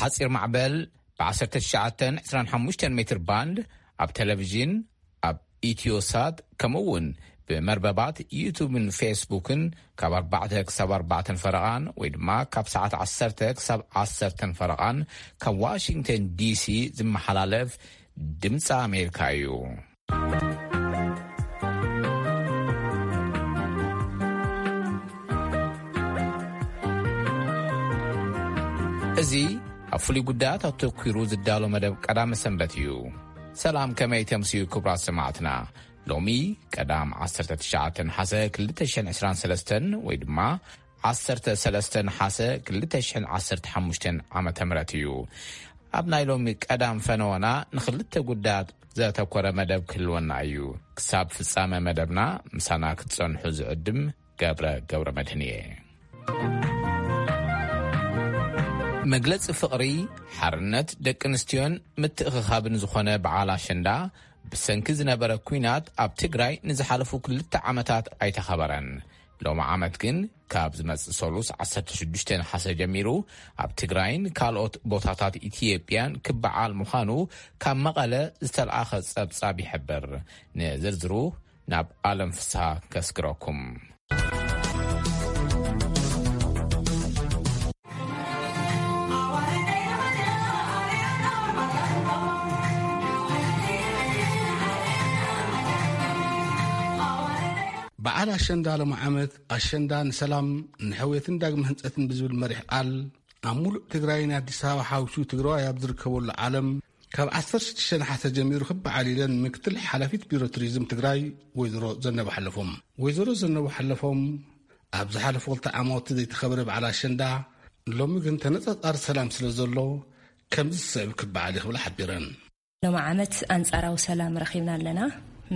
ሓጺር ማዕበል ብ1925 ሜትር ባንድ ኣብ ቴሌቪዥን፣ ኣብ ኢትዮሳት፣ ከምኡ እውን ብመርበባት ዩቱብን ፌስቡክን ካብ ኣርባዕተ ክሳብ ኣርባዕተን ፈረቓን ወይ ድማ ካብ ሰዓት ዓሰርተ ክሳብ ዓሰርተን ፈረቓን ካብ ዋሽንግተን ዲሲ ዝመሓላለፍ ድምፂ ኣሜሪካ እዩ። እዚ ኣብ ፍሉይ ጉዳያት ኣተኲሩ ዝዳሎ መደብ ቀዳመ ሰንበት እዩ። ሰላም፣ ከመይ ተምስዩ ክቡራት ሰማዕትና? ሎሚ ቀዳም ዓሰርተ ትሽዓተ ነሓሰ ክልተ ሽሕን ዕስራን ሰለስተን ወይ ድማ ዓሰርተ ሰለስተ ነሓሰ ክልተ ሽሕን ዓሰርተ ሓሙሽተን ዓመተ ምህረት እዩ። ኣብ ናይ ሎሚ ቀዳም ፈነወና ንኽልተ ጉዳያት ዘተኮረ መደብ ክህልወና እዩ። ክሳብ ፍጻመ መደብና ምሳና ክትጸንሑ ዝዕድም ገብረ ገብረ መድህን እየ። መግለጺ ፍቕሪ፣ ሓርነት ደቂ ኣንስትዮን ምትእኽኻብን ዝኾነ በዓል ኣሸንዳ ብሰንኪ ዝነበረ ኲናት ኣብ ትግራይ ንዝሓለፉ ክልተ ዓመታት ኣይተኸበረን። ሎም ዓመት ግን ካብ ዝመጽእ ሰሉስ ዓሰርተ ሽዱሽተ ነሓሰ ጀሚሩ ኣብ ትግራይን ካልኦት ቦታታት ኢትዮጵያን ክበዓል ምዃኑ ካብ መቐለ ዝተለኣኸ ጸብጻብ ይሕብር። ንዝርዝሩ ናብ ኣለም ፍስሃ ከስግረኩም። በዓል ኣሸንዳ ሎም ዓመት ኣሸንዳ ንሰላም፣ ንሕውየትን ዳግመ ህንጸትን ብዝብል መሪሕ ቃል ኣብ ሙሉእ ትግራይን ኣዲስ ኣበባ ሓዊሱ ትግራዋይ ኣብ ዝርከበሉ ዓለም ካብ ዓሰርተ ሽዱሽተ ነሓሰ ጀሚሩ ክበዓል ኢለን ምክትል ሓላፊት ቢሮ ቱሪዝም ትግራይ ወይዘሮ ዘነበ ሓለፎም። ወይዘሮ ዘነበ ሓለፎም ኣብ ዝሓለፉ ክልተ ዓማውቲ ዘይተኸበረ በዓል ኣሸንዳ ሎሚ ግን ተነጻጻሪ ሰላም ስለ ዘሎ ከምዚ ዝስዕብ ክበዓል እዩ ክብላ ሓቢረን። ሎም ዓመት ኣንጻራዊ ሰላም ረኺብና ኣለና።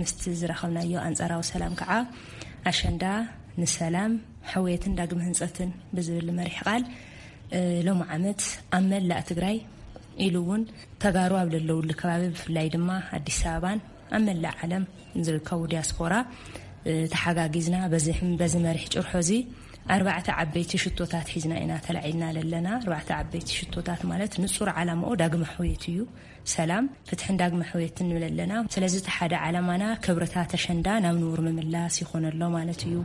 ምስቲ ዝረኸብናዮ ኣንጻራዊ ሰላም ከዓ ኣሸንዳ ንሰላም፣ ሕውየትን ዳግመ ህንጸትን ብዝብል መሪሕ ቃል፣ እ፣ ሎም ዓመት ኣብ መላእ ትግራይ ኢሉ እውን ተጋሩ ኣብ ዘለውሉ ከባቢ ብፍላይ ድማ ኣዲስ ኣበባን ኣብ መላእ ዓለም ዝርከቡ ዲያስፖራ፣ እ፣ ተሓጋጊዝና በዚ፣ በዚ መሪሕ ጭርሖ እዚ ኣርባዕተ ዓበይቲ ሽቶታት ሒዝና ኢና ተላዒልና ዘለና። ኣርባዕተ ዓበይቲ ሽቶታት ማለት ንጹር ዓላማኡ ዳግመ ሕውየት እዩ። ሰላም፣ ፍትሕን ዳግመ ሕውየትን ንብል ኣለና። ስለዚ እቲ ሓደ ዓላማና ክብርታት ኣሸንዳ ናብ ንቡር ምምላስ ይኾን ኣሎ ማለት እዩ።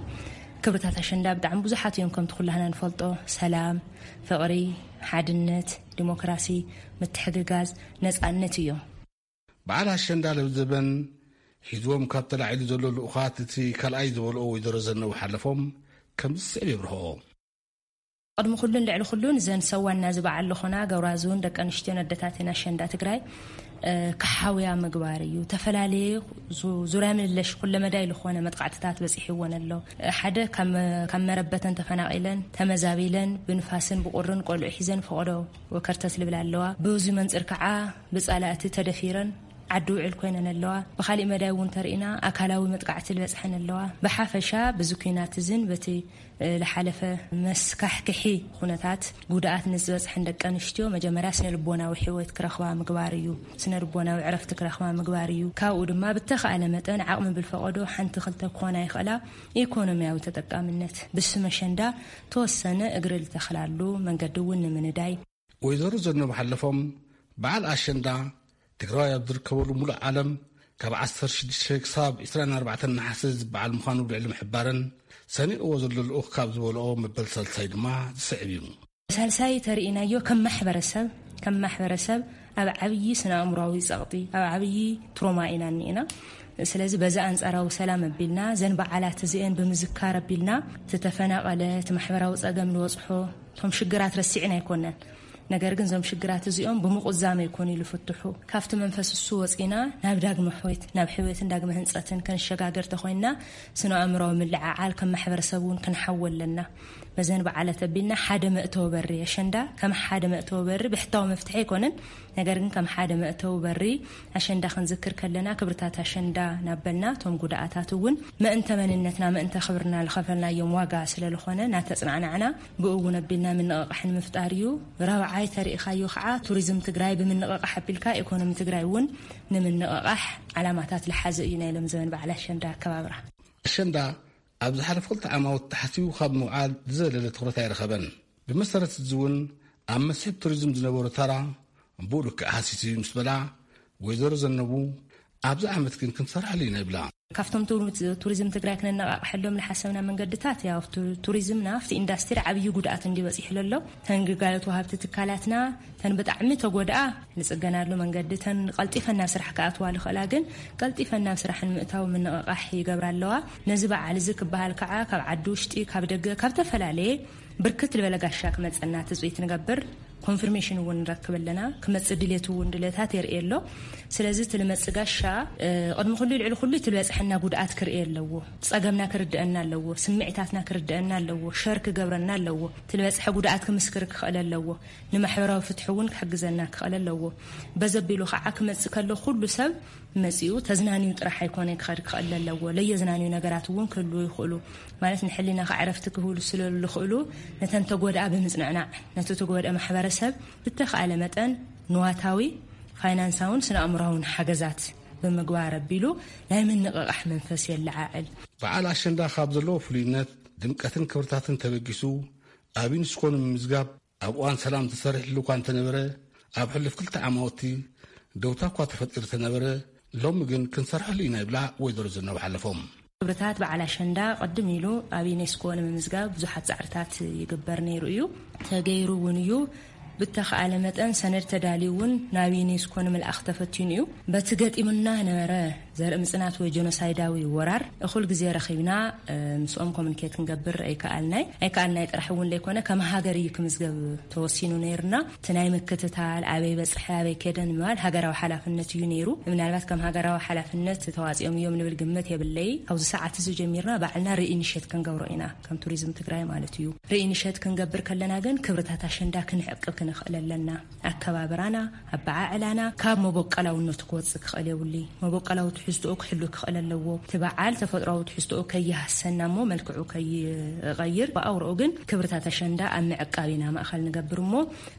ክብርታት ኣሸንዳ ብጣዕሚ ብዙሓት እዮም፣ ከምቲ ኩላህና ንፈልጦ፣ ሰላም፣ ፍቕሪ፣ ሓድነት፣ ዲሞክራሲ፣ ምትሕግጋዝ፣ ነጻነት እዮም። በዓል ኣሸንዳ ለብዘበን ሒዝዎም ካብ ተላዒሉ ዘሎ ልኡኻት እቲ ካልኣይ ዝበልኦ ወይዘሮ ዘነበ ሓለፎም ከምዚ ዝስዕብ የብርሆ። ቅድሚ ኩሉን ልዕሊ ኩሉን እዘን ሰዋና ዝበዓል ዝኾና ገብራዝውን ደቂ ኣንስትዮን ኣደታትን ኣሸንዳ ትግራይ፣ እ፣ ክሓውያ ምግባር እዩ። ተፈላለየ ዙ-፣ ዙርያ ምልለሽ ኩለመዳይ ዝኾነ መጥቃዕትታት በፂሕወን ኣሎ። ሓደ ካብ መ-፣ ካብ መረበተን ተፈናቒለን፣ ተመዛቢለን፣ ብንፋስን ብቁርን ቆልዑ ሒዘን ፈቐዶ ወከርተት ልብል ኣለዋ። ብዚ መንፅር ከዓ ብፃላእቲ ተደፊረን ዓዲ ውዕል ኮይነን ኣለዋ። ብኻሊእ መዳይ እውን ተርኢና ኣካላዊ መጥቃዕቲ ዝበፅሐን ኣለዋ። ብሓፈሻ ብዚ ኲናት እዝን በቲ፣ እ፣ ዝሓለፈ መስካሕክሒ ኩነታት ጉድኣት ንዝበፅሐን ደቂ ኣንስትዮ መጀመርያ ስነ ልቦናዊ ሕይወት ክረኽባ ምግባር እዩ። ስነ ልቦናዊ ዕረፍቲ ክረኽባ ምግባር እዩ። ካብኡ ድማ ብተኻእለ መጠን ዓቕሚ ብልፈቐዶ ሓንቲ ክልተ ክኾና ይኽእላ ኢኮኖሚያዊ ተጠቃምነት። ብስመ ኣሸንዳ ተወሰነ እግሪ ዝተኽላሉ መንገዲ እውን ንምንዳይ። ወይዘሮ ዘነበ ሓለፎም በዓል ኣሸንዳ ትግራዋይ ኣብ ዝርከበሉ ሙሉእ ዓለም ካብ ዓሰርተ ሽዱሽተ ክሳብ ዕስራን ኣርባዕተን ነሓሰ ዝበዓል ምዃኑ ልዕሊ ምሕባረን፣ ሰኒቕዎ ዘሎ ልኡኽ ካብ ዝበልኦ መበል ሳልሳይ ድማ ዝስዕብ እዩ። ሳልሳይ ተርኢናዮ ከም ማሕበረሰብ፣ ከም ማሕበረሰብ ኣብ ዓብዪ ስነ ኣእምሯዊ ጸቕጢ፣ ኣብ ዓብዪ ትሮማ ኢና እኒኤና። ስለዚ በዚ ኣንጻራዊ ሰላም ኣቢልና፣ ዘን በዓላት እዚአን ብምዝካር ኣቢልና፣ እቲ ተፈናቐለ፣ እቲ ማሕበራዊ ጸገም ዝበጽሖ፣ እቶም ሽግራት ረሲዕና ኣይኮነን። ነገር ግን እዞም ሽግራት እዚኦም ብምቑዛም ኣይኮኑ ኢሉ ፍትሑ። ካብቲ መንፈስ እሱ ወጺና ናብ ዳግመ ሕውየት፣ ናብ ሕውየትን ዳግመ ህንጸትን ክንሸጋገር ተኾይንና፣ ስነ ኣእምራዊ ምልዕዓል ከም ማሕበረሰብ እውን ክንሓው ኣለና። በዘን በዓላት ኣቢልና ሓደ መእተዊ በሪ ኣሸንዳ፣ ከም ሓደ መእተዊ በሪ ብሕታዊ መፍትሒ ኣይኮነን። ነገር ግን ከም ሓደ መእተዊ በሪ ኣሸንዳ ክንዝክር ከለና፣ ክብርታት ኣሸንዳ ናበልና፣ እቶም ጉዳኣታት እውን ምእንተ መንነትና፣ ምእንተ ክብርና ዝኸፈልናዮም ዋጋ ስለ ዝኾነ፣ እናተጽናዕናዕና ብኡ እውን ኣቢልና ምንቕቓሕ ንምፍጣር እዩ። ራብዓይ ተሪኢኻዮ ከዓ፣ ቱሪዝም ትግራይ ብምንቕቓሕ ኣቢልካ፣ ኢኮኖሚ ትግራይ እውን ንምንቕቓሕ ዓላማታት ዝሓዘ እዩ ናይ ሎም ዘበን በዓል ኣሸንዳ ኣከባብራ። ኣሸንዳ ኣብ ዝሓለፉ ክልተ ዓማውት ተሓሲቡ ካብ ምውዓል ዝዘለለ ትኹረት ኣይረኸበን። ብመሰረት እዚ እውን ኣብ መስሕብ ቱሪዝም ዝነበሮ ተራ ብኡ ልክዕ ሃሲስ እዩ ምስ በላ፣ ወይዘሮ ዘነቡ፣ ኣብዚ ዓመት ግን ክንሰርሐሉ ኢና ይብላ። ካብቶም ቱር-፣ ቱሪዝም ትግራይ ክነነቓቕሐሎም ዝሓሰብና መንገድታት፣ ያው ቱ-፣ ቱሪዝምና ኣብቲ ኢንዳስትሪ ዓብዪ ጉድኣት እንዲ በፂሑ ዘሎ፣ ተን ግልጋሎት ወሃብቲ ትካላትና፣ ተን ብጣዕሚ ተጎድኣ ንፅገናሉ መንገዲ፣ ተን ቀልጢፈን ናብ ስራሕ ክኣትዋ ዝኽእላ ግን ቀልጢፈን ናብ ስራሕ ንምእታው ምንቕቓሕ ይገብራ ኣለዋ። ነዚ በዓል እዚ ክበሃል ከዓ ካብ ዓዲ ውሽጢ፣ ካብ ደገ፣ ካብ ዝተፈላለየ ብርክት ዝበለ ጋሻ ክመፀና ትፅቢት ንገብር። ኮንፊርሜሽን እውን ንረክብ ኣለና። ክመፅእ ድሌት እውን ድሌታት የርኢ ኣሎ። ስለዚ እቲ ልመፅእ ጋሻ፣ እ፣ ቅድሚ ኩሉ ልዕሊ ኩሉ እቲ ልበፅሐና ጉድኣት ክርኢ ኣለዎ። ፀገምና ክርድአና ኣለዎ። ስምዒታትና ክርድአና ኣለዎ። ሸር ክገብረና ኣለዎ። እቲ ልበፅሐ ጉድኣት ክምስክር ክኽእል ኣለዎ። ንማሕበራዊ ፍትሒ እውን ክሕግዘና ክኽእል ኣለዎ። በዘቢሉ ከዓ ክመፅእ ከሎ ኩሉ ሰብ መጺኡ ተዝናንዩ ጥራሕ ኣይኮነ ክኸድ ክኽእል ኣለዎ። ለየዝናንዩ ነገራት እውን ክህልዉ ይኽእሉ። ማለት ንሕሊናኻ ዕረፍቲ ክህብሉ ስለ ዝኽእሉ፣ ነተን ተጎድኣ ብምጽንዕናዕ፣ ነቲ ተጎድአ ማሕበረሰብ ብተኻእለ መጠን ንዋታዊ፣ ፋይናንሳውን ስነ ኣእምሮኣውን ሓገዛት ብምግባር ኣቢሉ ናይ ምንቕቓሕ መንፈስ የለዓዕል። በዓል ኣሸንዳ ካብ ዘለዎ ፍሉይነት፣ ድምቀትን ክብርታትን ተበጊሱ ኣብ ዩኒስኮ ንምምዝጋብ ኣብ እዋን ሰላም ተሰሪሕሉ እኳ እንተነበረ፣ ኣብ ሕሉፍ ክልተ ዓማውቲ ደውታ እኳ ተፈጢሩ ተነበረ፣ ሎሚ ግን ክንሰርሐሉ ኢና ይብላ ወይዘሮ ዝናቡ ሓለፎም። ክብርታት በዓል ኣሸንዳ ቅድም ኢሉ ኣብ ዩኔስኮ ንምምዝጋብ ብዙሓት ጻዕርታት ይግበር ነይሩ እዩ፣ ተገይሩ እውን እዩ። ብተኻእለ መጠን ሰነድ ተዳልዩ እውን ናብ ዩኔስኮ ንምልኣኽ ተፈቲኑ እዩ። በቲ ገጢሙና ነበረ ዘርኢ ምጽናት ወይ ጀኖሳይዳዊ ወራር እኹል ግዜ ረኺብና፣ እ፣ ምስኦም ኮሙኒኬት ክንገብር ኣይከኣልናይ። ኣይከኣልናይ ጥራሕ እውን ዘይኮነ፣ ከም ሃገር እዩ ክምዝገብ ተወሲኑ ነይርና። እቲ ናይ ምክትታል፣ ኣበይ በጽሐ፣ ኣበይ ከደ ንምባል ሃገራዊ ሓላፍነት እዩ ነይሩ። ምናልባት ከም ሃገራዊ ሓላፍነት ተዋጺኦም እዮም ንብል ግምት የብለይ። ካብዚ ሰዓት እዚ ጀሚርና ባዕልና ሪኢኒሼት ክንገብሮ ኢና፣ ከም ቱሪዝም ትግራይ ማለት እዩ። ሪኢኒሼት ክንገብር ከለና ግን ክብርታት ኣሸንዳ ክንዕቅብ ክንኽእል ኣለና። ኣከባብራና፣ ኣበዓዕላና ካብ መበቀላውነቱ ክወጽእ ክኽእል የብሉይ። መበቀላዊ ትሕዝትኡ ክሕሉ ክኽእል ኣለዎ። እቲ በዓል ተፈጥሮኣዊ ትሕዝትኡ ከይሃሰና እሞ መልክዑ ከይቐይር፣ ብኣውርኡ ግን ክብርታት ኣሸንዳ ኣብ ምዕቃብ ኢና ማእኸል ንገብር እሞ፣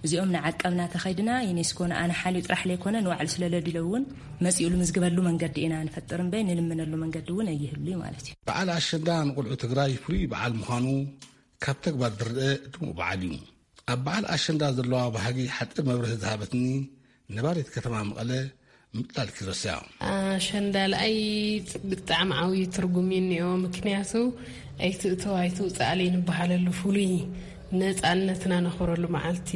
እዚኦም ንዓቀብና ተኸይድና፣ ዩኔስኮ ንኣና ሓልዩ ጥራሕ ለይኮነ ንባዕሉ ስለ ለድለ እውን መጺኡ ልምዝግበሉ መንገዲ ኢና ንፈጥር እምበይ፣ ንልምነሉ መንገዲ እውን ኣይህሉይ ማለት እዩ። በዓል ኣሸንዳ ንቆልዑ ትግራይ ፍሉይ በዓል ምዃኑ ካብ ተግባር ዝረአ ድሙቕ በዓል እዩ። ኣብ በዓል ኣሸንዳ ዘለዋ ባህጊ ሓጺር መብርሂ ዝሃበትኒ ነባሪት ከተማ መቐለ ምጥላል ኪሮስ እያ። ኣሸንዳ ለኣይ ብጣዕሚ ዓብዪ ትርጉም እዩ እኒኦ። ምክንያቱ ኣይትእቶ ኣይትውፃእ ለይ ንበሃለሉ ፍሉይ ነፃነትና ነኽብረሉ መዓልቲ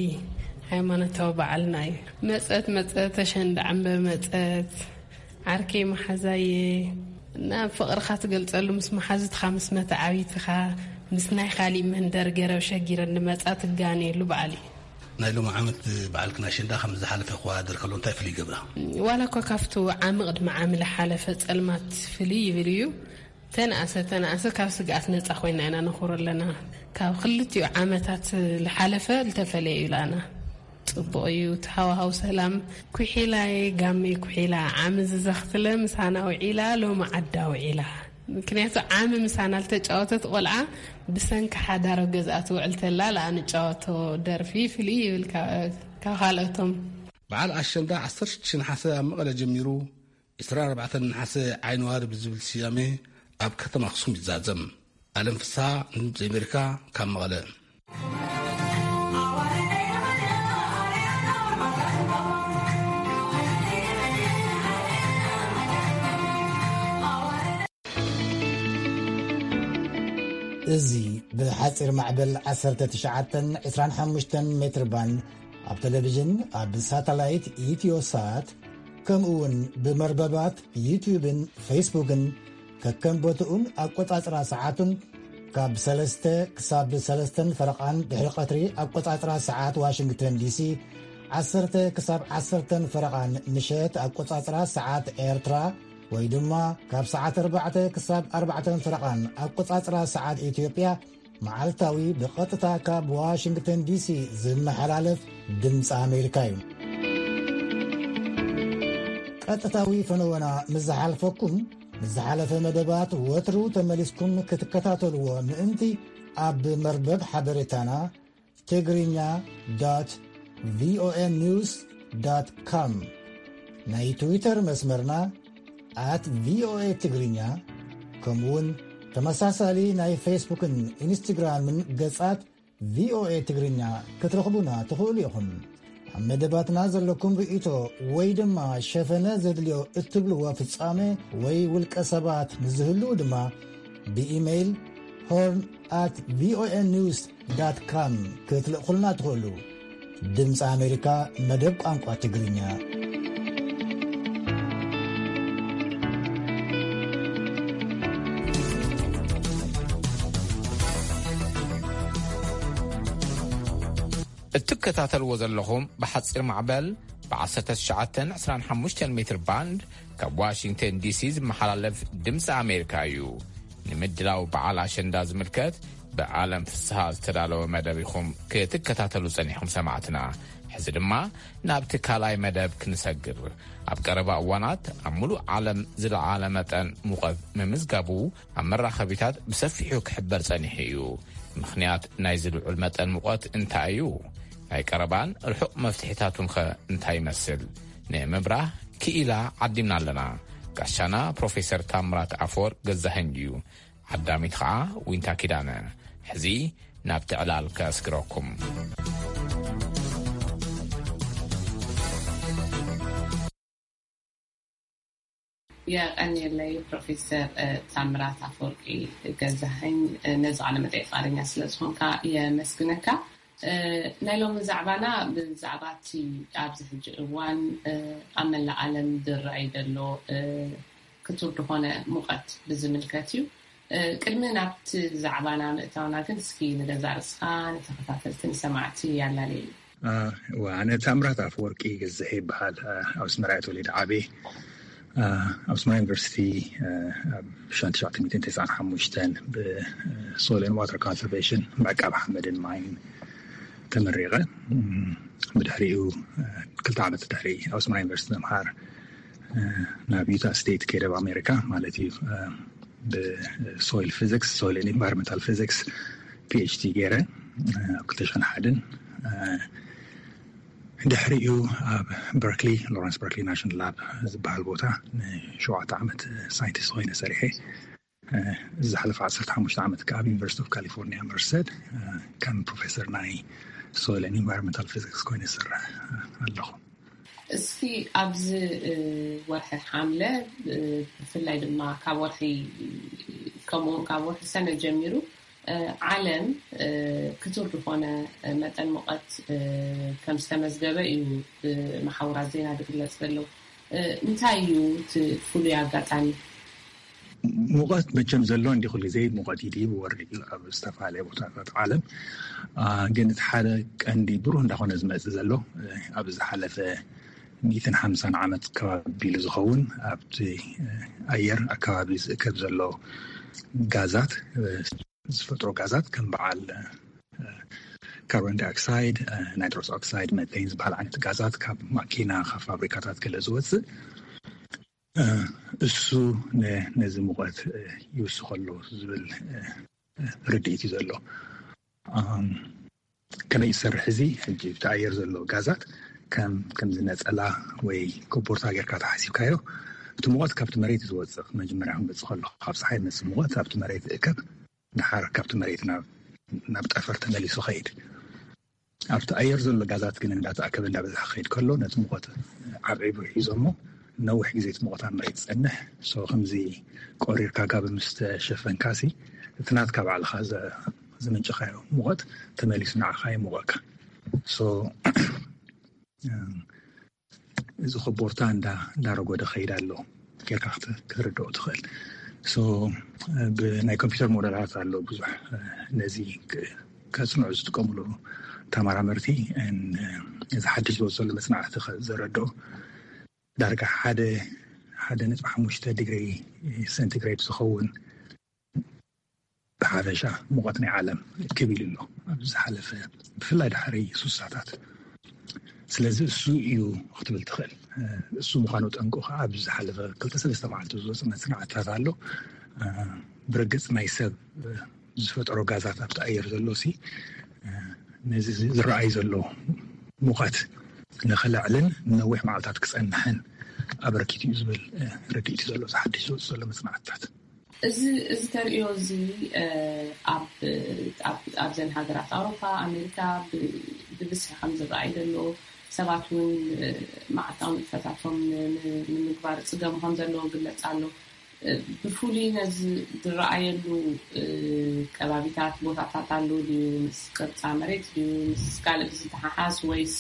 ሃይማኖታዊ በዓልና እዩ። መፀት መፀት ኣሸንዳ ዕምበ መፀት ዓርከይ መሓዛየ፣ ናብ ፍቕርኻ ትገልጸሉ፣ ምስ መሓዙትኻ፣ ምስ መተዓቢትኻ፣ ምስ ናይ ካሊእ መንደር ገረብ ሸጊረን ንመጻ ትጋነየሉ በዓል እዩ። ናይ ሎሚ ዓመት በዓል ክና ኣሸንዳ ከም ዝሓለፈ ክወዳደር ከሎ እንታይ ፍልይ ይገብራ? ዋላ እኳ ካብቲ ዓሚ ቅድሚ ዓሚ ዝሓለፈ ጸልማት ፍልይ ይብል እዩ። ተነኣሰ ተነኣሰ ካብ ስግኣት ነጻ ኮይና ኢና ነኽብሮ ኣለና። ካብ ክልቲኡ ዓመታት ዝሓለፈ ዝተፈለየ እዩ ላና። ጽቡቕ እዩ እቲ ሃዋሃው ሰላም። ኩሒላየ ጋመይ ኩሒላ፣ ዓሚ ዝዘኽትለ ምሳና ውዒላ፣ ሎሚ ዓዳ ውዒላ። ምክንያቱ ዓሚ ምሳና ልተጫወተት ቆልዓ ብሰንኪ ሓዳር ኣብ ገዝኣ ትውዕል ተላ ለኣ ንጫወቶ ደርፊ ፍልይ ይብል ካብ፣ ካብ ካልኦቶም። በዓል ኣሸንዳ ዓሰርተ ሽዱሽተ ነሓሰ ኣብ መቐለ ጀሚሩ፣ ዕስራን ኣርባዕተን ነሓሰ ዓይኒ ዋሪ ብዝብል ስያሜ ኣብ ከተማ ኣኽሱም ይዛዘም። ኣለም ፍስሃ፣ ንድምፂ ኣሜሪካ፣ ካብ መቐለ። እዚ ብሓጺር ማዕበል ዓሰርተ ትሽዓተን ዕስራን ሓሙሽተን ሜትር ባንድ ኣብ ቴሌቪዥን፣ ኣብ ሳተላይት ኢትዮሳት፣ ከምኡ እውን ብመርበባት ዩትዩብን ፌስቡክን ከከም ቦትኡን ኣቆጻጽራ ሰዓቱን ካብ ሰለስተ ክሳብ ሰለስተን ፈረቓን ድሕሪ ቀትሪ ኣቆጻጽራ ሰዓት ዋሽንግተን ዲሲ፣ ዓሰርተ ክሳብ ዓሰርተን ፈረቓን ምሸት ኣቆጻጽራ ሰዓት ኤርትራ፣ ወይ ድማ ካብ ሰዓት ኣርባዕተ ክሳብ ኣርባዕተን ፈረቓን ኣቆጻጽራ ሰዓት ኢትዮጵያ፣ መዓልታዊ ብቐጥታ ካብ ዋሽንግተን ዲሲ ዝመሓላለፍ ድምፂ ኣሜሪካ እዩ። ቀጥታዊ ፈነወና ምስ ዝሓልፈኩም፣ ምስ ዝሓለፈ መደባት ወትሩ ተመሊስኩም ክትከታተልዎ ምእንቲ፣ ኣብ መርበብ ሓበሬታና ትግርኛ ዶት ቪኦኤ ኒውስ ዶት ኮም፣ ናይ ትዊተር መስመርና ኣት ቪኦኤ ትግርኛ፣ ከምኡውን ተመሳሳሊ ናይ ፌስቡክን ኢንስትግራምን ገጻት ቪኦኤ ትግርኛ ክትረኽቡና ትኽእሉ ኢኹም። ኣብ መደባትና ዘለኩም ርእይቶ ወይ ድማ ሸፈነ ዘድልዮ እትብልዎ ፍጻመ ወይ ውልቀ ሰባት ንዝህልዉ ድማ ብኢሜይል ሆርን ኣት ቪኦኤ ኒውስ ዳት ካም ክትልእኹልና ትኽእሉ። ድምፂ ኣሜሪካ መደብ ቋንቋ ትግርኛ። እትከታተልዎ ዘለኹም ብሓፂር ማዕበል ብ19 25 ሜትር ባንድ ካብ ዋሽንግተን ዲሲ ዝመሓላለፍ ድምፂ ኣሜሪካ እዩ። ንምድላው በዓል ኣሸንዳ ዝምልከት ብዓለም ፍስሃ ዝተዳለወ መደብ ኢኹም ክትከታተሉ ጸኒሕኩም ሰማዕትና። ሕዚ ድማ ናብቲ ካልኣይ መደብ ክንሰግር። ኣብ ቀረባ እዋናት ኣብ ሙሉእ ዓለም ዝለዓለ መጠን ሙቐት ምምዝጋቡ ኣብ መራኸቢታት ብሰፊሑ ክሕበር ጸኒሑ እዩ። ምኽንያት ናይዚ ልዑል መጠን ሙቐት እንታይ እዩ? ናይ ቀረባን ርሑቕ መፍትሒታቱንኸ እንታይ ይመስል? ንምብራህ ክኢላ ዓዲምና ኣለና። ጋሻና ፕሮፌሰር ታምራት ኣፈወርቅ ገዛኸኝ እዩ። ዓዳሚት ኸዓ ዊንታ ኪዳነ። ሕዚ ናብቲ ዕላል ከስግረኩም። የቐንየለይ ፕሮፌሰር፣ እ፣ ታምራት ኣፈወርቂ ገዛኸኝ፣ እ፣ ነዚ ቃለ መጠይቅ ፍቃደኛ ስለ ዝኾንካ የመስግነካ። እ፣ ናይ ሎሚ ዛዕባና ብዛዕባ እቲ ኣብዚ ሕጂ እዋን፣ እ፣ ኣብ መላእ ዓለም ዝረኣይ ዘሎ፣ እ፣ ክቱር ዝኾነ ሙቐት ብዝምልከት እዩ። እ፣ ቅድሚ ናብቲ ዛዕባና ምእታውና ግን እስኪ ንገዛእ ርእስኻ ንተኸታተልቲ ንሰማዕቲ ያላለየሉ። እ፣ እዋ፣ ኣነ ታምራት ኣፈወርቂ ገዛኸኝ ይበሃል። እ፣ ኣብ ኣስመራ እየ ተወሊደ ዓብየ። እ፣ ኣብ ኣስመራ ዩኒቨርሲቲ፣ እ፣ ኣብ ሺሕ ትሽዓተ ሚእትን ተስዓን ሓሙሽተን ብ፣ እ፣ ሶይል ኤንድ ዋተር ኮንሰርቬሽን፣ ምዕቃብ ሓመድን ማይን ተመሪቐ። እም፣ ብድሕሪኡ፣ እ፣ ክልተ ዓመት ድሕሪ ኣብ ኣስመራ ዩኒቨርሲቲ ምምሃር፣ እ፣ ናብ ዩታ ስቴት ከይደ ኣብ ኣሜሪካ ማለት እዩ። እ፣ ብሶይል ፊዚክስ፣ ሶይል ኤንድ ኢንቫይሮንመንታል ፊዚክስ ፒ ኤች ዲ ገይረ፣ እ፣ ኣብ ክልተ ሽሕን ሓደን። እ፣ ድሕሪኡ ኣብ በርክሊ፣ ሎረንስ በርክሊ ናሽናል ላብ ዝበሃል ቦታ ንሸውዓተ ዓመት ሳይንቲስት ኮይነ ሰሪሐ። እ፣ ዝሓለፈ ዓሰርተ ሓሙሽተ ዓመት ከኣ ኣብ ዩኒቨርሲቲ ኦፍ ካሊፎርኒያ መርሰድ፣ እ፣ ከም ፕሮፌሰር ናይ ሶይል ኤንድ ኢንቫይሮንመንታል ፊዚክስ ኮይነ ዝሰርሕ፣ እ፣ ኣለኹ። እስኪ ኣብዚ፣ እ፣ ወርሒ ሓምለ፣ እ፣ ብፍላይ ድማ ካብ ወርሒ፣ ከምኡውን ካብ ወርሒ ሰነ ጀሚሩ፣ እ፣ ዓለም፣ እ፣ ክቱር ዝኾነ፣ እ፣ መጠን ሙቐት፣ እ፣ ከም ዝተመዝገበ እዩ ብመሓውራት ዜና ዝግለጽ ዘሎ። እ፣ እንታይ እዩ እቲ ፍሉይ ኣጋጣሚ? ሙቐት መቸም ዘሎ እንዲ ኩሉ ግዜ ሙቐት ይድይብ ይወርድ እዩ ኣብ ዝተፈላለየ ቦታታት ዓለም። አ፣ ግን እቲ ሓደ ቀንዲ ብሩህ እንዳኾነ ዝመጽእ ዘሎ፣ እ፣ ኣብ ዝሓለፈ ሚእትን ሓምሳን ዓመት ከባቢ ኢሉ ዝኸውን ኣብቲ፣ እ፣ ኣየር ኣከባቢ ዝእከብ ዘሎ ጋዛት፣ እ፣ ዝፈጥሮ ጋዛት ከም በዓል፣ እ፣ ካርቦን ዳይኦክሳይድ፣ እ፣ ናይትሮስ ኦክሳይድ፣ መቴን ዝበሃል ዓይነት ጋዛት ካብ ማኪና፣ ካብ ፋብሪካታት ገለ ዝወጽእ፣ እ፣ እሱ ነ-፣ ነዚ ሙቐት፣ እ፣ ይውስኸሉ ዝብል፣ እ፣ እ፣ ርድኢት እዩ ዘሎ። ኣም፣ ከመይ ይሰርሕ እዚ? ሕጂ እቲ ኣየር ዘሎ ጋዛት ከም፣ ከምዚ ነጸላ ወይ ኮቦርታ ጌርካ ተሓሲብካዮ፣ እቲ ሙቐት ካብቲ መሬት እዩ ዝወጽእ። መጀመርያ ክመጽእ ከሎ፣ ካብ ጸሓይ ዝመጽእ ሙቐት ኣብቲ መሬት ይእከብ፣ ድሓር ካብቲ መሬት ናብ፣ ናብ ጠፈር ተመሊሱ ኸይድ። ኣብቲ ኣየር ዘሎ ጋዛት ግን እንዳተኣከበ እንዳበዝሐ ክኸይድ ከሎ፣ ነቲ ሙቐት ዓብዒቡ ሒዞ እሞ፣ ነዊሕ ግዜ እቲ ሙቐት ኣብ መሬት ይጸንሕ። ሶ፣ ከምዚ ቆሪርካ ጋቢ ምስ ተሸፈንካሲ፣ እቲ ናትካ ባዕልኻ ዘ-፣ ዘመንጨኻዮ ሙቐት ተመሊሱ ንዓኻ ይሙቐካ። ሶ፣ እዚ ኮቦርታ እንዳ-፣ እንዳረጎደ ኸይድ ኣሎ ጌርካ ክት-፣ ክትርድኦ ትኽእል። ሶ፣ ብናይ ኮምፒውተር ሞዴላት ኣሎ ብዙሕ፣ ነዚ ክ-፣ ከጽንዑ ዝጥቀሙሉ ተመራመርቲ፣ ን-፣ እዚ ሓድሽ ዝወጽእ ዘሎ መጽናዕቲ ኸ-፣ ዘረድኦ፣ ዳርጋ ሓደ፣ ሓደ ነጥቢ ሓሙሽተ ዲግሪ ሴንቲግሬድ ዝኸውን ብሓፈሻ ሙቐት ናይ ዓለም ክብ ኢሉ ኣሎ ኣብ ዝሓለፈ፣ ብፍላይ ድሕሪ ሱሳታት። ስለዚ እሱ እዩ ክትብል ትኽእል። እሱ ምዃኑ ጠንቁ ኸዓ ኣብ ዝሓለፈ ክልተ ሰለስተ መዓልቲ ዝወፅእ መጽናዕትታት ኣሎ። ብርግጽ ናይ ሰብ ዝፈጠሮ ጋዛት ኣብቲ ኣየር ዘሎ ሲ ነዚ ዝረኣይ ዘሎ ሙቐት ንኽልዕልን ንነዊሕ መዓልታት ክጸንሕን ኣበርኪቱ እዩ ዝብል ርድኢት እዩ ዘሎ፣ እዚ ሓድሽ ዝወፅእ ዘሎ መጽናዕትታት። እዚ እዚ ተርእዮ እዚ ኣብዘን ሃገራት ኣውሮፓ፣ ኣሜሪካ ብብዝሒ ከም ዝረኣይ ዘሎ፣ ሰባት እውን መዓልታዊ ንጥፈታቶም ንምግባር ፅገም ከም ዘለዎ ግለፅ ኣሎ። ብፍሉይ ነዚ ዝረኣየሉ ከባቢታት፣ ቦታታት ኣሎ ድዩ? ምስ ቅርፃ መሬት ድዩ? ምስ ካልእ ብዝተሓሓዝ፣ ወይስ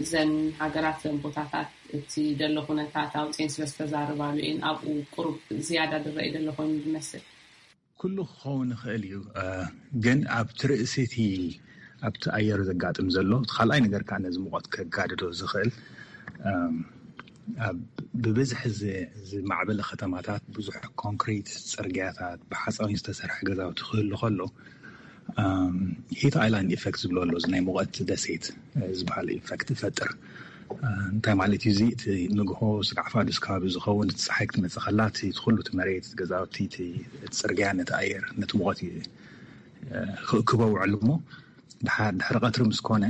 እዘን ሃገራት፣ እዘን ቦታታት እቲ ዘሎ ኩነታት ኣውፅኤን ስለ ዝተዛረባሉ እየን ኣብኡ ቁሩብ ዝያዳ ዝረኣይ ዘሎ ኮይኑ ዝመስል? ኩሉ ክኸውን ይኽእል እዩ፣ ግን ኣብቲ ርእሲ እቲ ኣብቲ ኣየር ዘጋጥም ዘሎ እቲ ካልኣይ ነገር ከዓ ነዚ ሙቐት ከጋድዶ ዝኽእል ብብዝሒ ዝማዕበለ ከተማታት፣ ብዙሕ ኮንክሪት ፅርግያታት፣ ብሓፃዊን ዝተሰርሐ ገዛውቲ ክህሉ ከሎ፣ ሂት ኣይላንድ ኢፈክት ዝብሎ ኣሎ፣ እዚ ናይ ሙቐት ደሴት ዝበሃል ኢፈክት ይፈጥር። እንታይ ማለት እዩ? እዚ እቲ ንግሆ ስጋዕ ፋዱስ ከባቢ ዝኸውን፣ እቲ ፀሓይ ክትመፅእ ከላ እቲ ኩሉ እቲ መሬት፣ ገዛውቲ፣ እቲ ፅርግያ ነቲ ኣየር፣ ነቲ ሙቐት ክእክቦ ውዕል እሞ፣ ድሓር ድሕሪ ቀትሪ ምስ ኮነ፣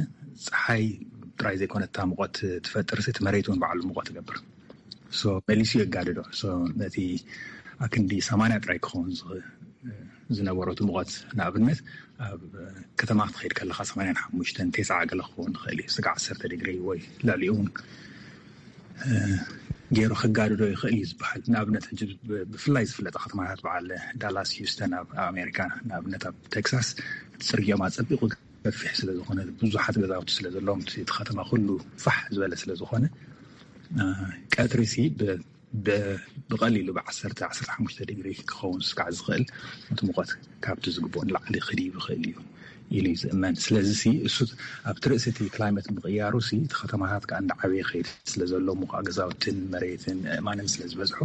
ፀሓይ ጥራይ ዘይኮነ እታ ሙቐት ትፈጥር፣ እቲ መሬት እውን ባዕሉ ሙቐት ይገብር። መሊሱ የጋድዶ። ነቲ ኣክንዲ ሰማንያ ጥራይ ክኸውን ዝነበሮ እቲ ሙቐት፣ ንኣብነት ኣብ ከተማ ክትኸይድ ከለካ ሰማንያን ሓሙሽተን፣ ተስዓ ገለ ክኸውን ይኽእል እዩ፣ ስጋዕ ዓሰርተ ዲግሪ ወይ ልዕሊኡ እውን ገይሩ ከጋድዶ ይኽእል እዩ ዝበሃል። ንኣብነት ሕጂ ብፍላይ ዝፍለጣ ከተማታት በዓል ዳላስ፣ ሂውስተን ኣብ ኣሜሪካ፣ ንኣብነት ኣብ ቴክሳስ፣ እቲ ፅርጊኦም ኣፀቢቑ ገፊሕ ስለ ዝኾነ፣ ብዙሓት ገዛውቲ ስለ ዘለዎም፣ እቲ ከተማ ኩሉ ፋሕ ዝበለ ስለ ዝኾነ፣ ቀትሪ ሲ ብቐሊሉ ብዓሰርተ ዓሰርተ ሓሙሽተ ዲግሪ ክኸውን ስካዕ ዝኽእል፣ እቲ ሙቐት ካብቲ ዝግብኦ ንላዕሊ ክድይብ ይኽእል እዩ ኢሉ እዩ ዝእመን። ስለዚ ሲ እሱ ኣብቲ ርእሲ እቲ ክላይመት ምቕያሩ ሲ እቲ ከተማታት ከዓ እንዳዓበየ ይኸይድ ስለ ዘሎ፣ ሙኻእ ገዛውትን መሬትን ኣእማንን ስለ ዝበዝሑ፣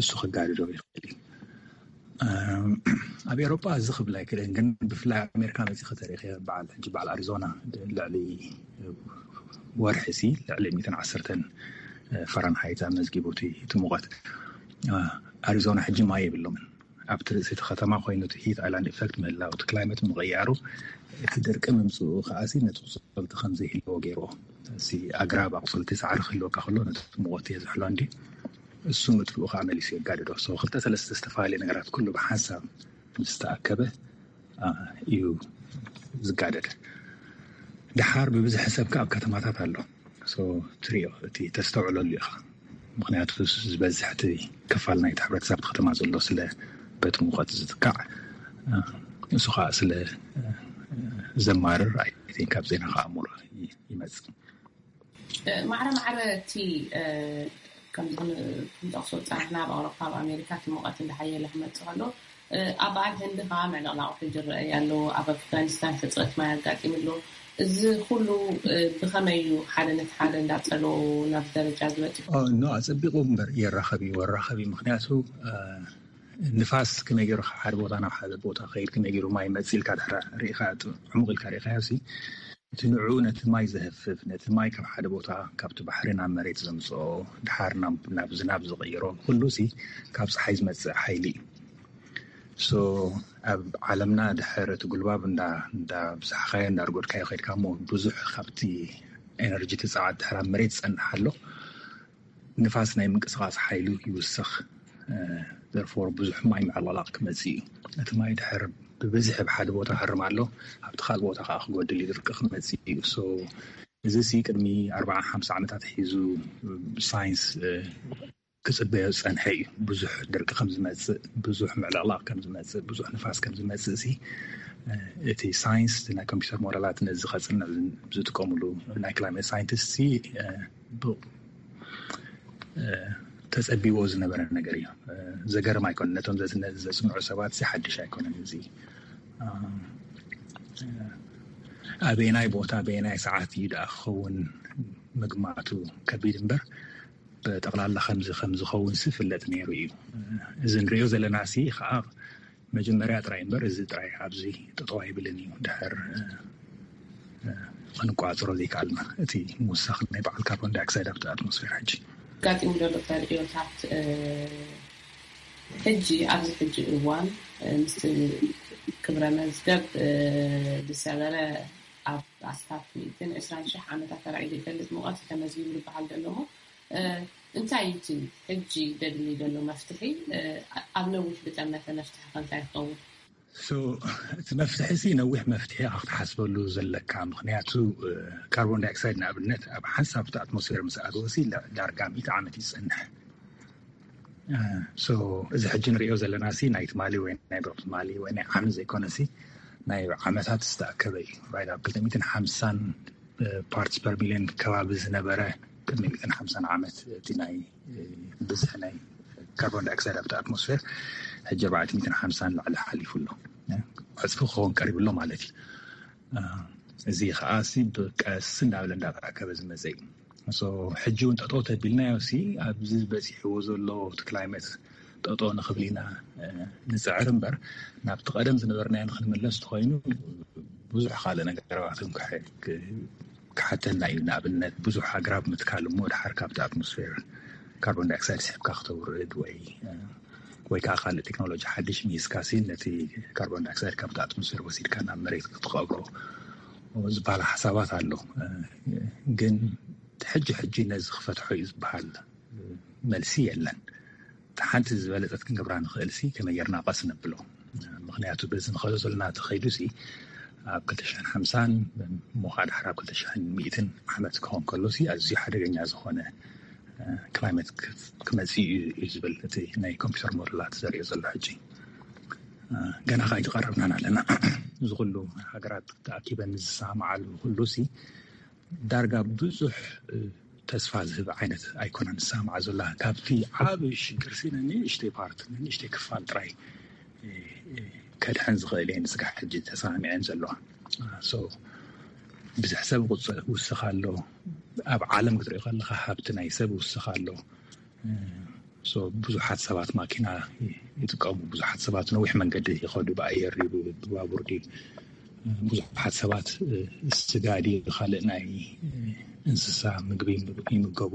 እሱ ክጋድዶ ይኽእል እዩ። ኣብ ኤሮጳ እዚ ክብል ኣይክእልን፣ ግን ብፍላይ ኣብ ኣሜሪካ መፂ ከተሪኸ በዓል ሕጂ በዓል ኣሪዞና ልዕሊ ወርሒ ሲ ልዕሊ ሚእትን ዓሰርተን ፈረንሃይት ኣመዝጊቡ እቲ ሙቐት። ኣሪዞና ሕጂ ማይ የብሎምን። ኣብቲ ርእሲ እቲ ከተማ ኮይኑ እቲ ሂት ኣይላንድ ኢፈክት ምህላው፣ እቲ ክላይመት ምቕያሩ፣ እቲ ድርቂ ምምፅኡ ከዓሲ ነቲ ቁፅልቲ ከም ዘይህልዎ ገይርዎ። እዚ ኣግራብ ኣቁፅልቲ ሳዕሪ ክህልወካ ከሎ ነቲ ሙቐት እየ ዝሕሎ እንዲ እሱ ምጥፍኡ ከዓ መሊሱ የጋድዶ። ክልተ ሰለስተ ዝተፈላለዩ ነገራት ኩሉ ብሓንሳብ ምስ ተኣከበ እዩ ዝጋደድ። ደሓር ብብዝሒ ሰብ ከዓ ኣብ ከተማታት ኣሎ። ትሪኦ፣ እቲ ተስተውዕለሉ ኢኻ። ምክንያቱ ዝበዝሕ እቲ ክፋል ናይቲ ሕብረተሰብ ኣብቲ ከተማ ዘሎ ስለ በቲ ሙቐት ዝትካዕ፣ እሱ ከዓ ስለ ዘማርር፣ ኣይ ቲንክ፣ ካብ ዜና ከዓ ሙር ይመፅእ። ማዕረ ማዕረ እቲ ከምዚ ክንጠቕሶ ዝፀናሕና ኣብ ኣውሮፓ፣ ኣብ ኣሜሪካ እቲ ሙቐት እንዳሓየለ ክመፅእ ከሎ፣ ኣብ በዓል ህንዲ ከዓ ምዕልቕላቑ ሕጂ ይረኣይ ኣሎ። ኣብ ኣፍጋኒስታን ሕፅረት ማይ ኣጋጢሙ ኣሎ። እዚ ኩሉ ብኸመይ እዩ ሓደ ነቲ ሓደ እንዳፀሎ ናብ ደረጃ ዝበፅሑ? ኖ፣ ኣፀቢቑ እምበር የራኸብ እዩ፣ ወራኸብ እዩ። ምክንያቱ ንፋስ ከመይ ገይሩ ካብ ሓደ ቦታ ናብ ሓደ ቦታ ከይድ፣ ከመይ ገይሩ ማይ መፅእ ኢልካ ድሕሪ ርኢኻ፣ ዕሙቕ ኢልካ ርኢኻዮ ሲ፣ እቲ ንዕኡ ነቲ ማይ ዘህፍፍ፣ ነቲ ማይ ካብ ሓደ ቦታ ካብቲ ባሕሪ ናብ መሬት ዘምፅኦ፣ ድሓር ናብ ዝናብ ዝቕይሮ፣ ኩሉ ሲ ካብ ፀሓይ ዝመፅእ ሓይሊ እዩ። ሶ ኣብ ዓለምና ድሕር እቲ ጉልባብ እንዳብዛሕካዮ እንዳርጎድካዮ ከድካ እሞ ብዙሕ ካብቲ ኤነርጂ እቲ ፀዓት ድሕር ኣብ መሬት ዝፀንሕ ኣሎ። ንፋስ ናይ ምንቅስቃስ ሓይሉ ይውስኽ። ዘርፎር ብዙሕ ማይ ምዕልቕላቕ ክመፅእ እዩ። እቲ ማይ ድሕር ብብዝሒ ብሓደ ቦታ ክርም ኣሎ፣ ኣብቲ ካልእ ቦታ ከዓ ክጎድል እዩ፣ ድርቂ ክመፅእ እዩ። እዚ ሲ ቅድሚ ኣርባዓ ሓምሳ ዓመታት ሒዙ ሳይንስ ክፅበዮ ዝፀንሐ እዩ። ብዙሕ ድርቂ ከም ዝመፅእ፣ ብዙሕ ምዕልቕላቕ ከም ዝመፅእ፣ ብዙሕ ንፋስ ከም ዝመፅእ ሲ እቲ ሳይንስ፣ ናይ ኮምፒውተር ሞዴላት ነዚ ከፅንዕ ዝጥቀምሉ ናይ ክላይሜት ሳይንቲስት ሲ ተፀቢዎ ዝነበረ ነገር እዩ። ዘገርም ኣይኮነን። ነቶም ዘፅንዑ ሰባት ሲ ሓድሽ ኣይኮነን። እዚ ኣበየናይ ቦታ ኣበየናይ ሰዓት እዩ ደኣ ክኸውን ምግማቱ ከቢድ እምበር፣ ብጠቕላላ ከምዚ ከም ዝኸውን ሲ ፍለጥ ነይሩ እዩ። እዚ ንሪኦ ዘለና ሲ ከዓ መጀመርያ ጥራይ እምበር፣ እዚ ጥራይ ኣብዚ ጠጠው ኣይብልን እዩ። ድሕር ክንቋፅሮ ዘይከኣልና፣ እቲ ምውሳኽ ናይ በዓል ካርቦን ዳይኦክሳይድ ኣብቲ ኣትሞስፌር ሕጂ ኣጋጢሙ ዘሎ ተርእዮታት፣ ሕጂ ኣብዚ ሕጂ እዋን ምስ ክብረ መዝገብ ዝሰበረ ኣብ ኣስታት ሚእትን ዕስራን ሽሕ ዓመታት ተራእዩ ዘይፈልጥ ሙቐት ተመዝጊቡ ዝበሃል ዘሎ እሞ፣ እንታይ እዩ እቲ ሕጂ ደድሊ ዘሎ መፍትሒ? ኣብ ነዊሕ ዝጠመተ መፍትሒ ከ እንታይ ይኸውን? እቲ መፍትሒ ሲ ነዊሕ መፍትሒ ክትሓስበሉ ዘለካ፣ ምክንያቱ ካርቦን ዳይኦክሳይድ ንኣብነት ኣብ ሓንሳብ እቲ ኣትሞስፌር ምስ ኣተወ ሲ ዳርጋ ሚእቲ ዓመት ይፀንሕ። እዚ ሕጂ ንሪኦ ዘለና ሲ ናይ ትማሊ ወይ ናይ ዶብ ትማሊ ወይ ናይ ዓመት ዘይኮነ ሲ ናይ ዓመታት ዝተኣከበ እዩ። ኣብ ክልተ ሚእትን ሓምሳን ፓርትስ ፐር ሚሊዮን ከባቢ ዝነበረ ቅድሚ ሚእትን ሓምሳን ዓመት እቲ ናይ ብዝሒ ናይ ካርቦን ዳይኦክሳይድ ኣብቲ ኣትሞስፌር ሕጂ ኣርባዕተ ሚእትን ሓምሳን ላዕሊ ሓሊፉ ኣሎ። ዕፅፊ ክኸውን ቀሪቡ ኣሎ ማለት እዩ። እዚ ከዓ ሲ ብቀስ እንዳበለ እንዳተኣከበ ዝመፀ እዩ። ሕጂ እውን ጠጠው ተቢልናዮ ሲ ኣብዚ በፂሕዎ ዘሎ እቲ ክላይመት ጠጠው ንኽብል ኢና ንፅዕር እምበር ናብቲ ቀደም ዝነበርናዮ ንክንምለስ ተኮይኑ ብዙሕ ካልእ ነገራትን ክሓተና እዩ። ንኣብነት ብዙሕ ኣግራብ ምትካል እሞ ድሓር ካብቲ ኣትሞስፌር ካርቦን ዳይኦክሳይድ ስሕብካ ክተውርድ ወይ ወይ ከዓ ካልእ ቴክኖሎጂ ሓድሽ ሚስካ ሲ ነቲ ካርቦን ዳይኦክሳይድ ካብቲ ኣትሞስፌር ወሲድካ ናብ መሬት ክትቀብሮ ዝበሃል ሓሳባት ኣሎ። ግን ሕጂ ሕጂ ነዚ ክፈትሖ እዩ ዝበሃል መልሲ የለን። ሓንቲ ዝበለፀት ክንገብራ ንኽእል ሲ ከመይ ጌርና ቀስ ነብሎ። ምክንያቱ በዚ ንኸዶ ዘለና ተኸይዱ ሲ ኣብ ክልተ ሽሕን ሓምሳን ሞኻ ድሓር ኣብ ክልተ ሽሕን ሚእትን ዓመት ክኸውን ከሎ ሲ ኣዝዩ ሓደገኛ ዝኾነ ክላይመት ክመፅእ እዩ ዝብል እቲ ናይ ኮምፒውተር ሞደላት ዘርእዮ ዘሎ ሕጂ ገና ከዓ ኣይተቐረብናን ኣለና። እዚ ኩሉ ሃገራት ተኣኪበን ዝሰማማዓሉ ኩሉ ሲ ዳርጋ ብዙሕ ተስፋ ዝህብ ዓይነት ኣይኮነን ዝሰማማዓ ዘላ። ካብቲ ዓብ ሽግር ሲ ንእሽተይ ፓርት ንእሽተይ ክፋል ጥራይ ከድሕን ዝኽእል እየን ስጋሕ ሕጂ ተሰማሚዐን ዘለዋ። ብዙሕ ሰብ ውስኽ ኣሎ። ኣብ ዓለም ክትሪኦ ከለካ ሃብቲ ናይ ሰብ ውስኽ ኣሎ። ብዙሓት ሰባት ማኪና ይጥቀሙ። ብዙሓት ሰባት ነዊሕ መንገዲ ይኸዱ፣ ብኣየር ድዩ ብባቡር ድዩ። ብዙሓት ሰባት ስጋ ድዩ ካልእ ናይ እንስሳ ምግቢ ይምገቡ።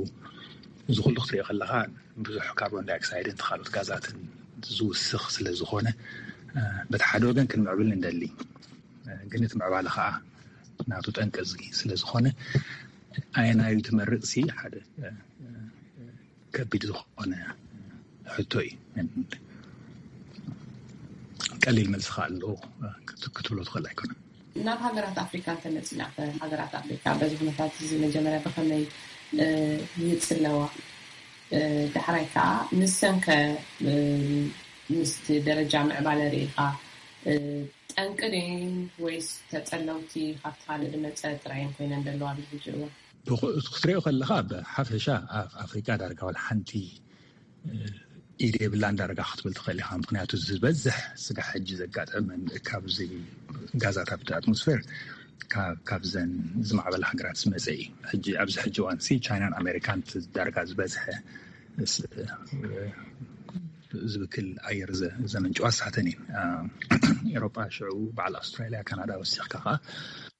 እዚ ኩሉ ክትሪኦ ከለካ ብዙሕ ካርቦን ዳይኦክሳይድን ካልኦት ጋዛትን ዝውስኽ ስለ ዝኾነ በቲ ሓደ ወገን ክንምዕብል ንደሊ፣ ግን እቲ ምዕባለ ከዓ ናቱ ጠንቂ እዚ ስለ ዝኾነ ኣየናዩ ትመርፅ ሲ ሓደ ከቢድ ዝኾነ ሕቶ እዩ። ቀሊል መልሲ ከዓ ኣለዎ ክትብሎ ትኽእል ኣይኮነን። ናብ ሃገራት ኣፍሪካ እንተመፂና፣ ሃገራት ኣፍሪካ በዚ ኩነታት እዚ መጀመርያ ብኸመይ ይፅለዋ? ዳሕራይ ከዓ ንሰን ከ ምስቲ ደረጃ ምዕባለ ርኢኻ ጠንቂ ድየን ወይስ ተፀለውቲ ካብቲ ካልእ ዝመፀ ጥራየን ኮይነን ዘለዋ ኣብዚ ሕጂ እዋን? ክትሪኦ ከለካ ብሓፈሻ ኣብ ኣፍሪቃ ዳርጋ ዋላ ሓንቲ ኢድ የብላን ዳርጋ ክትብል ትኽእል ኢካ። ምክንያቱ ዝበዝሕ ስጋሕ ሕጂ ዘጋጠመን ካብዚ ጋዛት ኣብቲ ኣትሞስፌር ካብዘን ዝማዕበላ ሃገራት ዝመፀ እዩ። ሕጂ ኣብዚ ሕጂ እዋን ሲ ቻይናን ኣሜሪካን ዳርጋ ዝበዝሐ ዝብክል ኣየር ዘመንጭዋ ሳተን እየን። ኤሮጳ ሽዑ በዓል ኣውስትራሊያ፣ ካናዳ ወሲኽካ ከዓ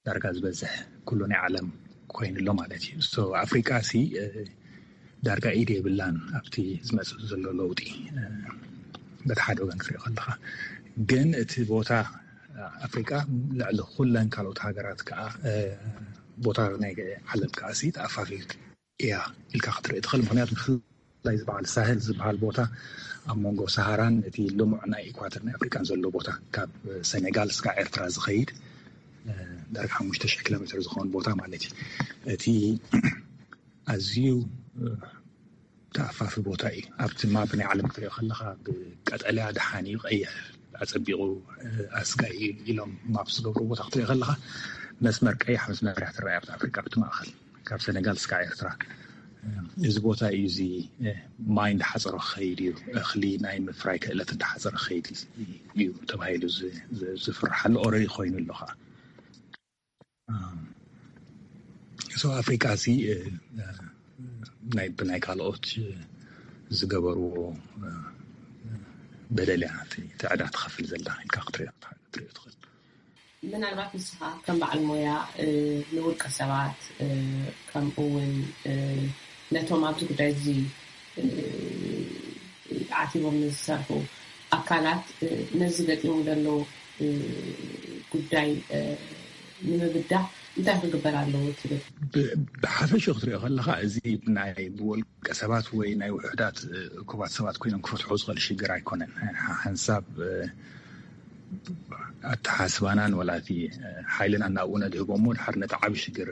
ዳርጋ ዝበዝሕ ኩሉ ናይ ዓለም ኮይኑ ኣሎ ማለት እዩ። ኣፍሪቃ ሲ ዳርጋ ኢድ የብላን ኣብቲ ዝመፅእ ዘሎ ለውጢ። በቲ ሓደ ወገን ክሪኦ ከለካ ግን እቲ ቦታ ኣፍሪቃ ልዕሊ ኩለን ካልኦት ሃገራት ከዓ ቦታ ናይ ዓለም ከዓ ሲ ተኣፋፊ እያ ኢልካ ክትርኢ ትኽእል። ምክንያቱ ብፍላይ ዝበዓል ሳህል ዝበሃል ቦታ ኣብ መንጎ ሰሃራን እቲ ልሙዕ ናይ ኢኳተር ናይ ኣፍሪቃን ዘሎ ቦታ ካብ ሰኔጋል ስጋ ኤርትራ ዝኸይድ ዳርጋ ሓሙሽተ ሽሕ ኪሎ ሜትር ዝኸውን ቦታ ማለት እዩ። እቲ ኣዝዩ ተኣፋፊ ቦታ እዩ። ኣብቲ ማፕ ናይ ዓለም ክትሪኦ ከለካ ብቀጠልያ ደሓን እዩ፣ ቀይሕ ኣፀቢቑ ኣስጋኢ ኢሎም ማፕ ዝገብሩ ቦታ ክትሪኦ ከለካ መስመር ቀያሕ መስመር እያ ትረኣይ ኣብቲ ኣፍሪቃ ብቲ ማእኸል ካብ ሰነጋል እስካብ ኤርትራ። እዚ ቦታ እዩ እዚ ማይ እንዳሓፀሮ ክኸይድ እዩ፣ እኽሊ ናይ ምፍራይ ክእለት እንዳሓፀረ ክኸይድ እዩ ተባሂሉ ዝፍርሓሉ ኦረዲ ኮይኑ ኣሎ ከዓ። ሶ ኣፍሪቃ ሲ ናይ ብናይ ካልኦት ዝገበርዎ በደል እያ ትዕዳ ትኸፍል ዘላ ኢልካ ክትሪኦ ትኽእል። ምናልባት ንስኻ ከም በዓል ሞያ ንውልቀ ሰባት ከምኡ እውን ነቶም ኣብዚ ጉዳይ እዚ ዓቲቦም ንዝሰርሑ ኣካላት ነዚ ገጢሙ ዘሎ ጉዳይ ንምብዳህ እንታይ ክግበር ኣለዎ ትብል? ብሓፈሽ ክትሪኦ ከለካ፣ እዚ ናይ ብወልቀ ሰባት ወይ ናይ ውሑዳት እኩባት ሰባት ኮይኖም ክፈትሑ ዝኽእል ሽግር ኣይኮነን። ሓንሳብ ኣተሓስባናን ወላ እቲ ሓይልና እናብኡ ነድህቦ እሞ፣ ድሓር ነቲ ዓብ ሽግር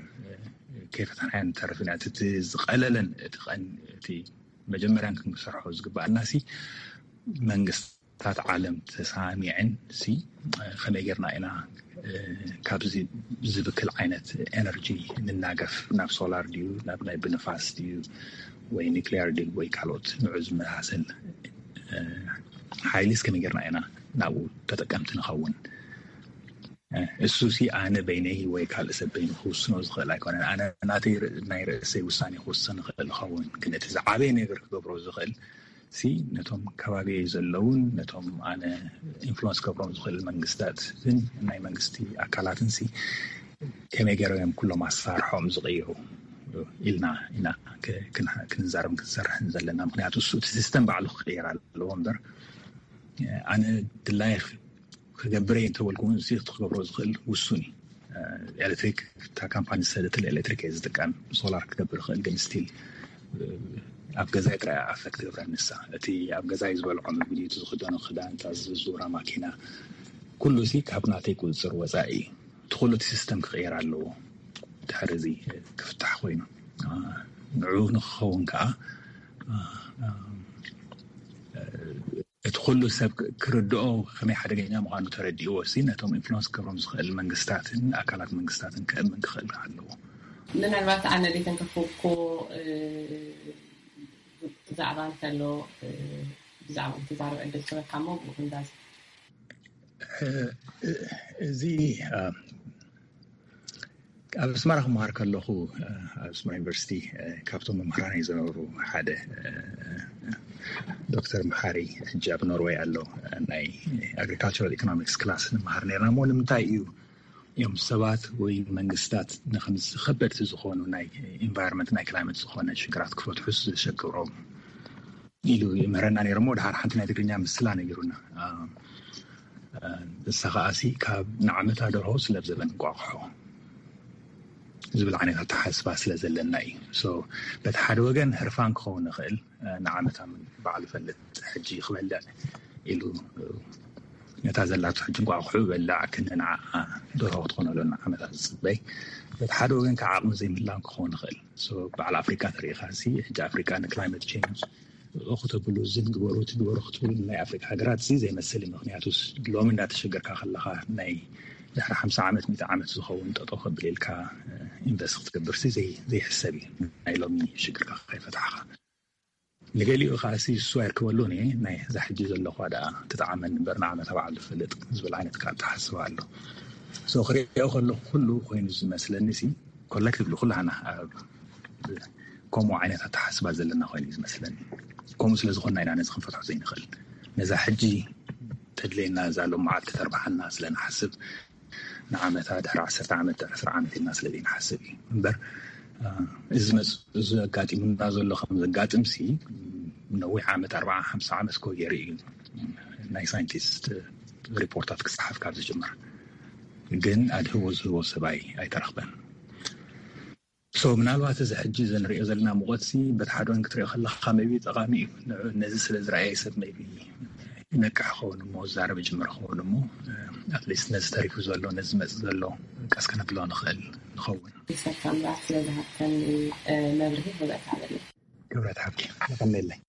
ከይፈታሕናዮ ንተርፍ ኢና። እቲ ዝቐለለን እቲ እቲ መጀመርያን ክንሰርሖ ዝግባኣና ሲ፣ መንግስታት ዓለም ተሳሚዐን ሲ፣ ከመይ ጌርና ኢና ካብዚ ዝብክል ዓይነት ኤነርጂ ንናገፍ? ናብ ሶላር ድዩ፣ ናብ ናይ ብንፋስ ድዩ፣ ወይ ኒክሊየር ድዩ፣ ወይ ካልኦት ንዑ ዝመሳሰል ሓይሊስ ከመይ ጌርና ኢና ናብኡ ተጠቀምቲ ንኸውን? እሱ ሲ ኣነ በይነይ ወይ ካልእ ሰብ በይኑ ክውስኖ ዝኽእል ኣይኮነን። ኣነ ናተይ ር- ናይ ርእሰይ ውሳኔ ክውስን ይኽእል ይኸውን፣ ግን እቲ ዝዓበየ ነገር ክገብሮ ዝኽእል ሲ፣ ነቶም ከባቢየይ ዘለውን ነቶም ኣነ ኢንፍሉወንስ ክገብሮም ዝኽእል መንግስታትን ናይ መንግስቲ ኣካላትን ሲ፣ ከመይ ገይሮም እዮም ኩሎም ኣሳርሖም ዝቕይሩ ኢልና ኢና ክ- ክንሓ- ክንዛረብ ክንሰርሕን ዘለና። ምክንያቱ እሱ እቲ ሲስተም ባዕሉ ክቕየር ኣለዎ እምበር፣ ኣነ ድላየ ክገብረ እንተበልኩ እውን እዚ ክትገብሮ ዝኽእል ውሱን እዩ። ኤሌክትሪክ፣ እታ ካምፓኒ ዝሰደትል ኤሌክትሪክ እየ ዝጥቀም። ሶላር ክገብር ይኽእል፣ ግን ስቲል ኣብ ገዛይ ጥራይ ኣፈክት ትገብረ ንሳ። እቲ ኣብ ገዛይ ዝበልዖ ምግቢ፣ እቲ ዝኽደኖ ክዳን፣ እታ ዝዙራ ማኪና፣ ኩሉ ሲ ካብ ናተይ ቁፅፅር ወፃኢ እዩ። እቲ ኩሉ እቲ ሲስተም ክቕየር ኣለዎ። ድሕሪ እዚ ክፍታሕ ኮይኑ ንዑ ንክኸውን ከዓ እቲ ኩሉ ሰብ ክርድኦ ከመይ ሓደገኛ ምዃኑ ተረዲእዎ ሲ፣ ነቶም ኢንፍሉንስ ክገብሮም ዝኽእል መንግስታትን ኣካላት መንግስታትን ከእምን ክኽእል ኣለዎ። ምናልባት ኣነ ደይተንከፍኩ ብዛዕባ እንተሎ ብዛዕባ ክትዛረብ ዕድል ክበካ እሞ ብኡ ክንዛዝ። እዚ ኣብ ኣስመራ ክመሃር ከለኹ ኣብ ኣስመራ ዩኒቨርሲቲ ካብቶም መምህራነይ ዝነበሩ ሓደ ዶክተር መሓሪ ሕጂ ኣብ ኖርወይ ኣሎ፣ ናይ ኣግሪካልቸራል ኢኮኖሚክስ ክላስ ንመሃር ነርና። እሞ ንምንታይ እዩ እዮም ሰባት ወይ መንግስታት ንከምዚ ከበድቲ ዝኾኑ ናይ ኢንቫይሮንመንት ናይ ክላይመት ዝኾነ ሽግራት ክፈትሑ ዘሸግሮም ኢሉ ይምህረና ነይሩ። እሞ ድሓር ሓንቲ ናይ ትግርኛ ምስላ ነጊሩና። ንሳ ከዓሲ ካብ ንዓመታ ደርሆ ስለብ ዘበን እንቋቑሖ ዝብል ዓይነት ኣተሓስባ ስለ ዘለና እዩ። በቲ ሓደ ወገን ህርፋን ክኸውን ይኽእል፣ ንዓመታ ባዕሉ ፈልጥ ሕጂ ክበልዕ ኢሉ ነታ ዘላቶ ሕጂ እንቋቑሑ በላዕ ክንንዓ ደርሆ ክትኾነሉ ንዓመታ ዝፅበይ። በቲ ሓደ ወገን ከዓ ዓቕሚ ዘይምላን ክኸውን ይኽእል። በዓል ኣፍሪካ ተሪኢኻ ሲ፣ ሕጂ ኣፍሪካ ንክላይመት ቼንጅ እኹ ተብሉ፣ እዚ ንግበሩ ትግበሩ ክትብሉ፣ ናይ ኣፍሪካ ሃገራት እዚ ዘይመስል እዩ። ምክንያቱ ሎሚ እንዳተሸገርካ ከለካ ናይ ድሕሪ ሓምሳ ዓመት ሚእቲ ዓመት ዝኸውን ጠጠው ከብል ኢልካ ኢንቨስት ክትገብር ሲ ዘይሕሰብ እዩ። ናይ ሎሚ ሽግርካ ከይፈታሕካ፣ ንገሊኡ ከዓ ሲ እሱ ኣይርከበሉን እየ፣ ናይ እዛ ሕጂ ዘለኳ ደኣ ትጥዓመኒ እምበር ንዓመታ በዓል ዝፈልጥ ዝብል ዓይነት ከዓ ኣተሓስባ ኣሎ። ክሪኦ ከለኩ ኩሉ ኮይኑ ዝመስለኒ ሲ፣ ኮሌክቲቭሊ ኩላህና ኣብ ከምኡ ዓይነት ኣተሓስባ ዘለና ኮይኑ እዩ ዝመስለኒ። ከምኡ ስለ ዝኾንና ኢና ነዚ ክንፈትሖ ዘይንኽእል። ነዛ ሕጂ ተድለየና እዛ ሎም መዓልቲ ተርባሓና ስለ ንሓስብ፣ ንዓመታ ድሕሪ ዓሰርተ ዓመት ድሕሪ ዕስራ ዓመት ኢልና ስለ ዘይንሓስብ እዩ እምበር፣ እዚ መፅ- እዚ ኣጋጢሙና ዘሎ ከም ዘጋጥም ሲ፣ ነዊሕ ዓመት ኣርባዓ ሓምሳ ዓመት ኮ ገይሩ እዩ ናይ ሳይንቲስት ሪፖርታት ክፀሓፍ ካብ ዝጅምር። ግን ኣድህቦ ዝህቦ ሰብኣይ ኣይተረኽበን። ምናልባት እዚ ሕጂ ዘንሪኦ ዘለና ሙቐት ሲ በቲ ሓደ ወገን ክትሪኦ ከለካ maybe ጠቓሚ እዩ። ነዚ ስለ ዝረኣየ ሰብ maybe ይነቅሕ ኸውን እሞ፣ ዝዛረብ ይጅምር ኸውን እሞ፣ ኣትሊስት ነዚ ተሪፉ ዘሎ፣ ነዚ መፅ ዘሎ ቀስ ከነብሎ ንኽእል ንኸውን። ይሰካ ምራት ስለ ዝሃብተኒ መብርሂ ክብረት ሃበለይ። ክብረት ሃብኪ። የቐንየለይ።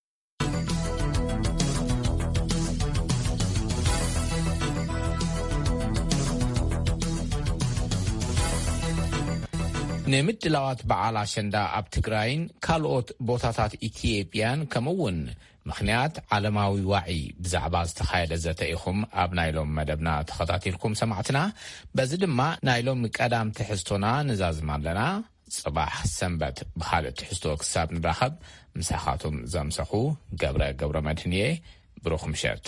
ንምድላዋት በዓል ኣሸንዳ ኣብ ትግራይን ካልኦት ቦታታት ኢትዮጵያን ከምኡውን ምኽንያት ዓለማዊ ዋዒ ብዛዕባ ዝተኻየደ ዘተ ኢኹም ኣብ ናይ ሎም መደብና ተኸታቲልኩም ሰማዕትና። በዚ ድማ ናይ ሎም ቀዳም ትሕዝቶና ንዛዝም ኣለና። ጽባሕ ሰንበት ብኻልእ ትሕዝቶ ክሳብ ንራኸብ ምሳኻቱም ዘምሰኹ ገብረ ገብረ መድህን እየ። ብሩኽ ምሸት።